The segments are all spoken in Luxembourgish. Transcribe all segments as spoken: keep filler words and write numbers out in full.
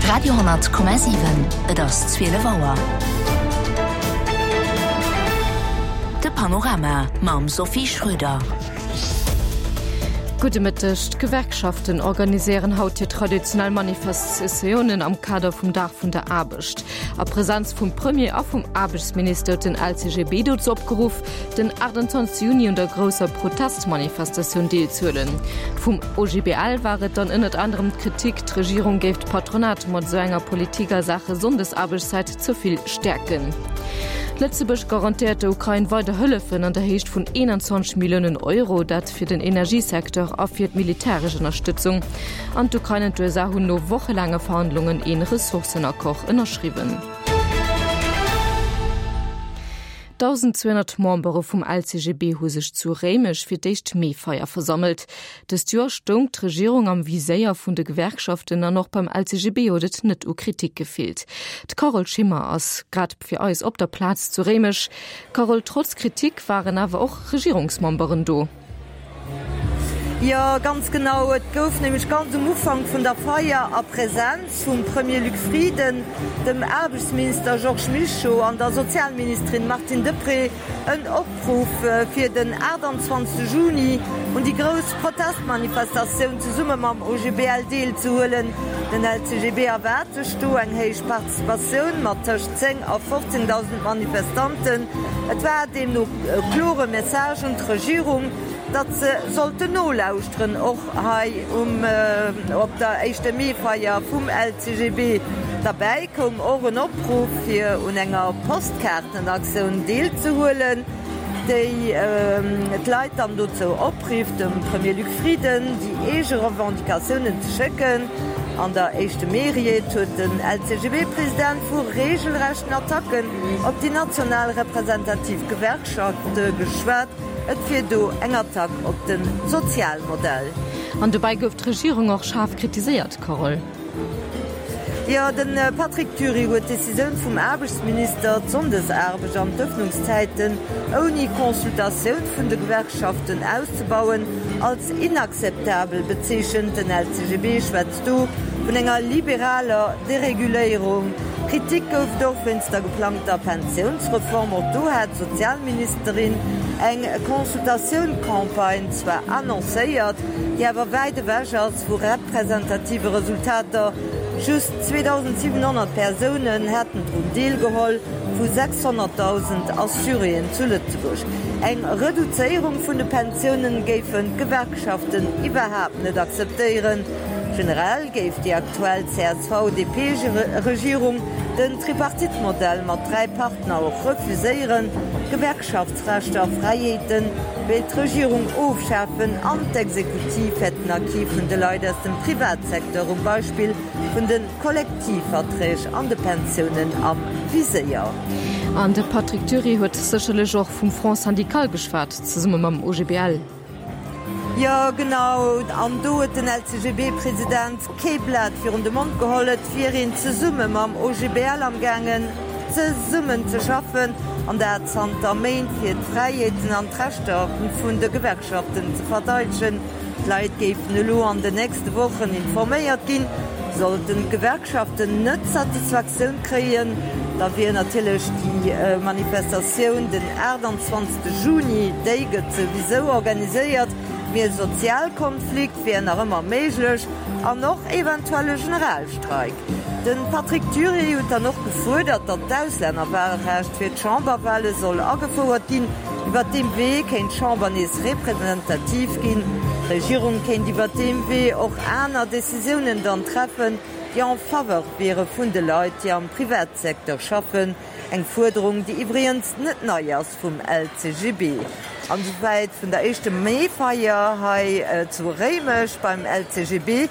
Radio honnert Komma siwen, Et ass zwielef Auer. De Panorama mam Sophie Schröder. Gudde Mëtteg. D'Gewerkschaften organiséieren haut hir traditionell Manifestatiounen am Kader vum Dag vun der Aarbecht. A Presenz vum Premier a vum Aarbechtsminister huet den L C G B dozou opgeruff, den achtundzwanzegste Juni un der grousser Protestmanifestatioun deelzehuelen. Vum O G B L war et dann ënnert anerem d'Kritik, d'Regierung géif d'Patronat mat esou enger Politik a Saache Sonndesaarbechtszäit ze vill stäerken. Lëtzebuerg garantéiert der Ukrain weider Hëllefen an der Héicht vun eenanzwanzeg Milliounen Euro, dat fir den Energiesecteur a fir d'militäresch Ënnerstëtzung. An d'Ukrain an d'U S A hunn no wochelaange Verhandlungen een Ressourcenaccord ënnerschriwwen. Dausendzweehonnert Membere vum L C G B hu sech zu Réimech fir d'éischt Meefeier versammelt. Dëst Joer stoung d'Regierung am Viséier vun de Gewerkschaften an och beim L C G B huet et net u Kritik gefeelt. D'Carole Schimmer ass grad fir eis op der Plaz zu Réimech. Carole, trotz Kritik waren awer och Regierungsmemberen do. Jo, ganz genau. Et gouf nämlech ganz um Ufank vun der Feier a Presenz vum Premier Luc Frieden, dem Aarbechtsminister Georges Mischo an der Sozialministerin Martine Deprez en Opruff fir den aachtanzwanzegste Juni un déi grouss Protestmanifestatioun zesumme mam O G B L deelzehuelen. Den L C G B erwaart sech do eng héich Participatioun mat tëscht zéng a fofzéngdausend Manifestanten. Et war deemno e klore Message un d'Regierung, datt se sollten nolauschteren, och hei um op der éischte Meefeier vum L C G B. Derbäi koum och en Opruff fir un enger Postkaartenaktioun deelzehuelen, déi d'Leit dann dozou oprifft, dem Premier Luc Frieden déi eege Revendicatiounen ze schécken. An der éischte Mee-Ried huet den L C G B-President vu reegelrechten Attacken op déi national representativ Gewerkschaft geschwat. Et wier do eng Attack op de Sozialmodell. An dobäi gouf d'Regierung och schaarf kritiséiert, Carole. Jo, de Patrick Dury huet d'Decisioun vum Aarbechtsminister, d'Sonndesaarbecht an d'Ëffnungszäiten ouni Consultatioun vun de Gewerkschaften auszebauen, als inakzeptabel bezeechent. Den L C G B schwätzt do vun enger liberaler Dereguléierung. Kritik gouf et och wéinst der geplangter Pensiounsreform. Och do hat d'Sozialministerin eng Consultatioun-Campagne zwar annoncéiert, déi awer wäit ewech ass vu representative Resultater. Just zweedausentsiwenhonnert Persounen hätten drun deelgeholl, vu sechshonnertdausend Assuréen zu Lëtzebuerg. Eng Reduzéierung vun de Pensiounen géifen d'Gewerkschaften iwwerhaapt net akzeptéieren. Generell géif déi aktuell C S V-D P-Regierung den Tripartite-Modell mat dräi Partner och refuséieren. Gewerkschaftsrechter a Fräiheete wéilt d'Regierung ofschafen an d'Exekutiv hätt den Acquis vun de Leit aus dem Privatsecteur um Beispill vun de Kollektivverträg an de Pensiounen am Viséier. An de Patrick Dury huet sécherlech och vum Front syndical geschwat, zesumme mam O G B L. Jo, genau. An do huet den L C G B-President kee Blat virun de Mond geholl. Et wier een zesumme mam O G B L amgaangen, zesummen ze schaffen, an dat zanter Méint, fir d'Fräiheeten an d'Rechter vun de Gewerkschaften ze verdeidegen. D'Leit géifen elo an den nächste Wochen informéiert ginn. Sollten d'Gewerkschaften net Satisfaktioun kréien, da wier natierlech déi Manifestatioun den aachtanzwanzegste Juni, déi gëtt souwisou organiséiert, mee e Sozialkonflikt wier nach ëmmer méiglech an och eventuell e Generalstreik. De Patrick Dury huet dann och gefuerdert, datt d'Auslännerwahlrecht fir d'Chamberwahle soll agefouert ginn. Iwwer deem Wee kéint d'Chamber nees representativ ginn. D'Regierung kéint iwwer deem Wee och aner Decisiounen dann treffen, déi en faveur wiere vun de Leit, déi am Privatsecteur schaffen. Eng Fuerderung, déi iwwregens net nei ass vum L C G B. An esouwäit vun der éischte Meefeier hei zu Réimech beim L C G B,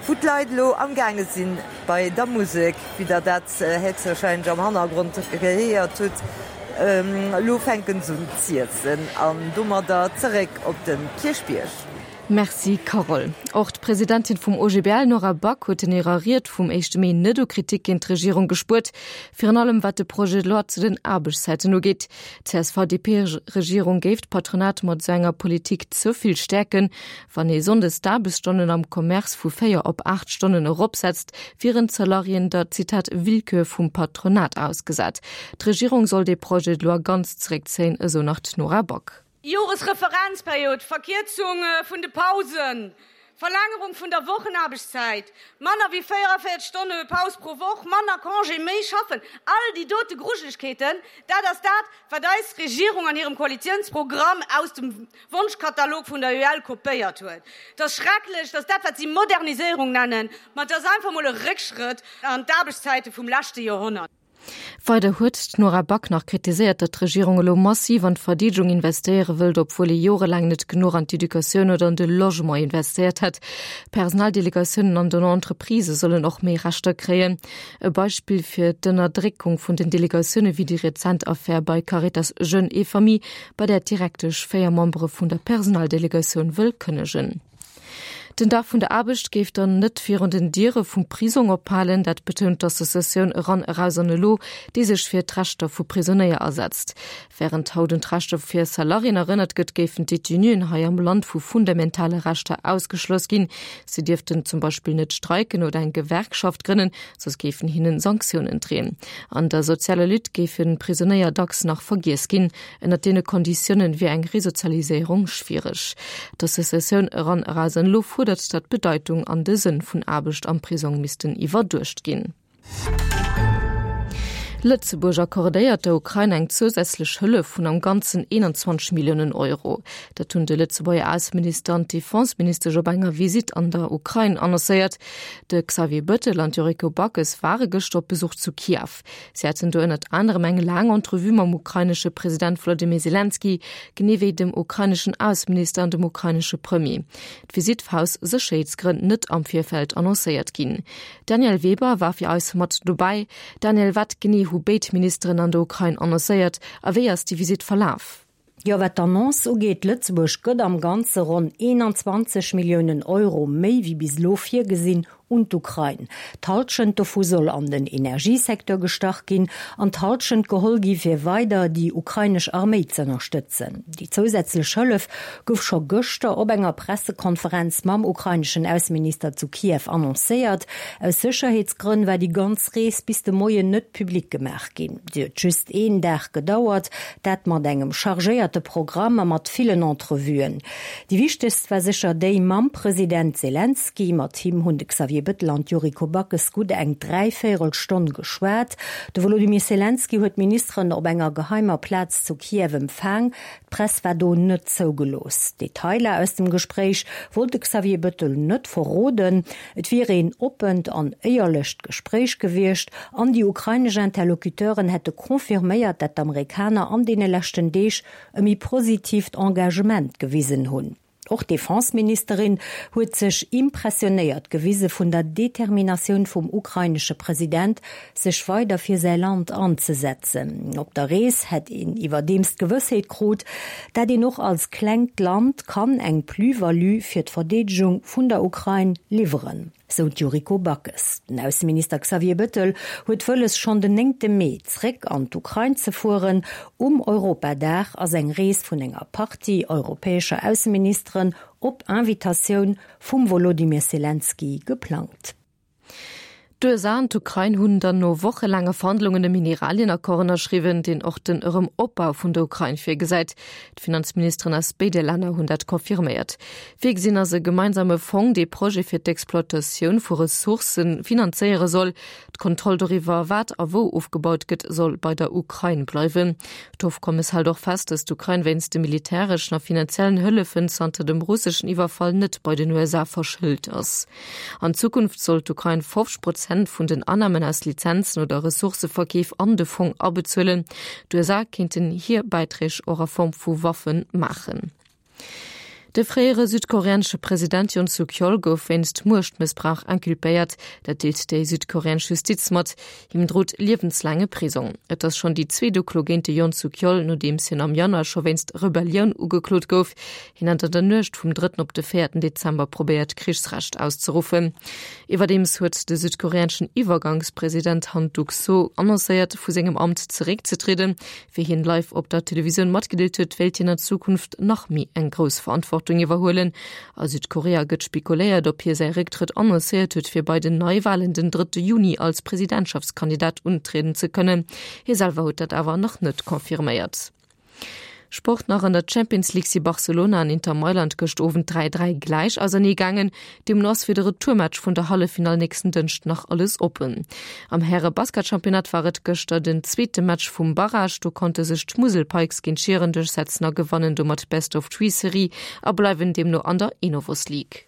wou d'Leit elo amgaange sinn bei der Musek, wéi der dat héchstwahrscheinlech am Hannergrond gehéiert hutt. Elo fänken se un z'iessen an domadder zeréck op de Kierchbierg. Merci Carole. Och d'Presidentin vum OGBL Nora Back huet an hirer Ried vum éischte Mee net u Kritik géint d'Regierung gespuert, virun allem wat de Projet de loi zu den Aarbechtszäiten ugeet. D'CSV-DP-Regierung géif d'Patronat mat esou enger Politik ze vill stäerken. Wann ee sonndes d'Aarbechtsstonnen am Commerce vu véier op aacht Stonnen eropsetzt, wieren d'Salariéen der, Zitat, Willkür vum Patronat ausgesat. D'Regierung soll dee Projet de loi ganz zeréckzéien, esou nach d'Nora Back. Joresreferenzperiod, Verkierzung vun de Pausen, Verlängerung vun der Wochenaarbechtszäit, manner wéi véierundavéierzeg Stonne Paus pro Woch, manner Congé, méi schaffen, all déi dote Grujelegkeeten, dat ass dat, wat eis Regierung an hirem Koalitiounsprogramm aus dem Wonschkatalog vun der UEL kopéiert huet. Et ass schrecklech, dass dat, wat si Moderniséierung nennen, ma et ass einfach mol e Réckschrëtt an d'Aarbechtszäite vum leschte Joerhonnert. Weider huet d'Nora Back nach kritiséiert, datt d'Regierung elo massiv an d'Verdeedegung investéiere wëllt, obwuel ee jorelaang net genuch an d'Educatioun oder an de Logement investéiert hätt. D'Personaldelegatiounen an den Entreprisë sollen och méi Rechter kréien. E Beispill fir d'Ënnerdréckung vun den Delegatioune wier déi rezent Affär bei Caritas Jeunes et Familles, bei där d'Direktesch véier Membere vun der Personaldelegatioun wëll kënnegen. Den Dag vun der Aarbecht géif dann net virun den Diere vum Prisong ophalen, dat betount d'Associatioun Eran, Eraus an Elo, déi sech fir d'Rechter vu Prisonéier asetzt. Wärend haut un d'Rechter fir Salariéen erënnert gëtt, géifen d'Detenuen hei am Land vu fundamentale Rechter ausgeschloss ginn. Si dierften zum Beispill net streiken oder eng Gewerkschaft grënnen, soss géifen hinnen Sanktiounen dreeën. An der sozialer Lutte géifen d'Prisonéier dacks nach vergiess ginn. Ënnert deene Konditioune wier eng Resozialiséierung schwiereg. D'Associatioun Eran, Eraus an Elo fuerdert, datt d'Bedeitung an de Sënn vun Aarbecht am Prisong missten iwwerduecht ginn. Lëtzebuerg accordéiert der Ukrain eng zousätzlech Hëllef vun am Ganzen eenanzwanzeg Milliounen Euro. Dat hunn de Lëtzebuerger Ausseminister an d'Defenseministesch op enger Visitt an der Ukrain annoncéiert. De Xavier Bettel an d'Yuriko Backes ware gëschter op Besuch zu Kiew. Si haten do ënnert anerem eng laang Entrevue mam ukrainesche President Wolodymyr Selenskyj, genee wéi dem ukraineschen Ausseminister an dem ukrainesche Premier. D'Visitt war aus Sécherheetsgrënn net am Virfeld annoncéiert ginn. D'Danièle Weber war fir eis mat dobäi. Danièle, wat genee hu béid Ministeren an der Ukrain annoncéiert a wéi ass déi Visitt verlaf? Jo, wat d'Annonce ugeet, Lëtzebuerg gëtt am Ganze ronn eenanzwanzeg Milliounen Euro méi wéi bis elo virgesinn un d'Ukrain. D'Hallschent dovu soll an den Energiesecteur gestach ginn an d'Hallschent geholl gi fir weider déi ukrainesch Arméi z'ënnerstëtzen. Déi zousätzlech Hëllef gouf scho gëschter op enger Pressekonferenz mam ukraineschen Ausseminister zu Kiew annoncéiert. Aus Sécherheetsgrënn war déi ganz Rees bis de Moien net public gemaach ginn. Si huet just een Dag gedauert, dat mat engem chargéierte Programm a mat villen Entrevuen. Déi wichtegst war sécher déi mam President Selenskyj. Mat him hunn de Xavier Bettel an d'Yuriko Backes gutt eng dräivéierel Stonn geschwat. De Wolodymyr Selenskyj huet d'Ministeren op enger geheimer Plaz zu Kiew empfaang. D'Press war do net zougelooss. Detailer aus dem Gespréich wollt de Xavier Bettel net verroden. Et wier een oppent an éierlecht Gespréich gewiescht an déi ukrainesch Interlocuteuren hätte confirméiert, dat d'Amerikaner an deene leschten Deeg e méi positiivt Engagement gewisen hunn. Och d'Defenseministerin huet sech impressionéiert gewise vun der Determinatioun vum ukrainesche President, sech weider fir säi Land anzesetzen. Op der Rees hätt een iwwerdeems d'Gewëssheet krut, dat een och als klengt Land kann eng Plus-value fir d'Verdeedegung vun der Ukrain liwweren, sou d'Yuriko Backes. Den Ausseminister Xavier Bettel huet wëlles, schonn den néngte Mee zréck an d'Ukrain ze fueren. Um Europadag ass eng Rees vun enger Partie europäescher Ausseministeren op Invitatioun vum Wolodymyr Selenskyj geplangt. D'USA an d'Ukrain hunn dann no wochelaange Verhandlungen e Mineralienaccord ënnerschriwwen, deen och den Erëm-Opbau vun der Ukrain virgesäit. D'Finanzministeren aus béide Länner hunn dat confirméiert. Virgesinn ass e gemeinsame Fong, dee Projete fir d'Exploitatioun vu Ressourcë finanzéiere soll. D'Kontroll doriwwer, wat a wou ofgebaut gëtt, soll bei der Ukrain bleiwen. D'Ofkommes hält och fest, datt d'Ukrain wéinst de militäreschen a finanziellen Hëllefen zanter dem russeschen Iwwerfall net bei den U S A verschëlt ass. An Zukunft soll d'Ukrain fofzeg Prozent vun den Annamen aus Lizenzen oder Ressourcëverkeef an de Fong abezuelen. D'U S A kéinten hir Bäiträg och a Form vu Waffe maachen. De fréiere südkoreanesche President Yoon Suk-yeol gouf wéinst Muechtmëssbrauch inculpéiert. Dat deelt déi südkoreanesch Justiz mat. Him drot liewenslaange Prisong. Et ass schonn déi zweet Uklo géint de Yoon Suk-yeol, nodeems hien am Januar scho wéinst Rebellioun ugeklot gouf. Hien hat an der Nuecht vum drëtten op de véierten Dezember probéiert, d'Krichsrecht auszeruffen. Iwwerdeems huet de südkoreaneschen Iwwergangspresident Han Duck-soo annoncéiert, vu sengem Amt zeréckzetrieden. Wéi hien live op der Televisioun matgedeelt huet, wéilt hien an Zukunft nach méi eng grouss Verantwortung iwwerhuelen. A Südkorea gëtt spekuléiert, ob hie säi Récktrëtt annoncéiert huet, fir bei den Neiwalen den drëtte Juni als Presidentschaftskandidat untrieden ze kënnen. Hie selwer huet dat awer nach net confirméiert. Sport nach, An der Champions League si Barcelona an Inter Mailand gëscht Owend dräi, dräi gläich ausernee gaangen. Deemno ass fir de Retourmatch vun der Halleffinall nächsten Dënschd nach alles oppen. Am Häre-Basketchampionnat war et gëschter den zweete Match vum Barrage. Do konnte sech d'Musel Pikes géint Schieren duerchsetzen a gewannen domat d'Best-of-Three-Serie a bleiwen deemno an der Enovos League.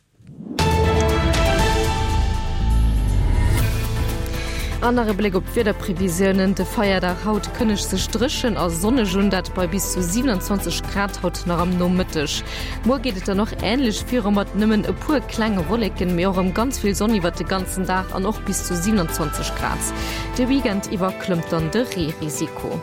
An nach e Bléck op d'Wiederprevisiounen, De Feierdag haut kënnegt sech dréchen a sonneg un, dat bei bis zu siewenundzwanzeg Grad haut nach am Nomëtteg. Muer geet et dann och änlech viru mat nëmmen e puer klenge Wolleken, mee och erëm ganz vill Sonn iwwert de ganzen Dag an och bis zu siewenundzwanzeg Grad. De Weekend iwwer klëmmt dann de Reerisiko.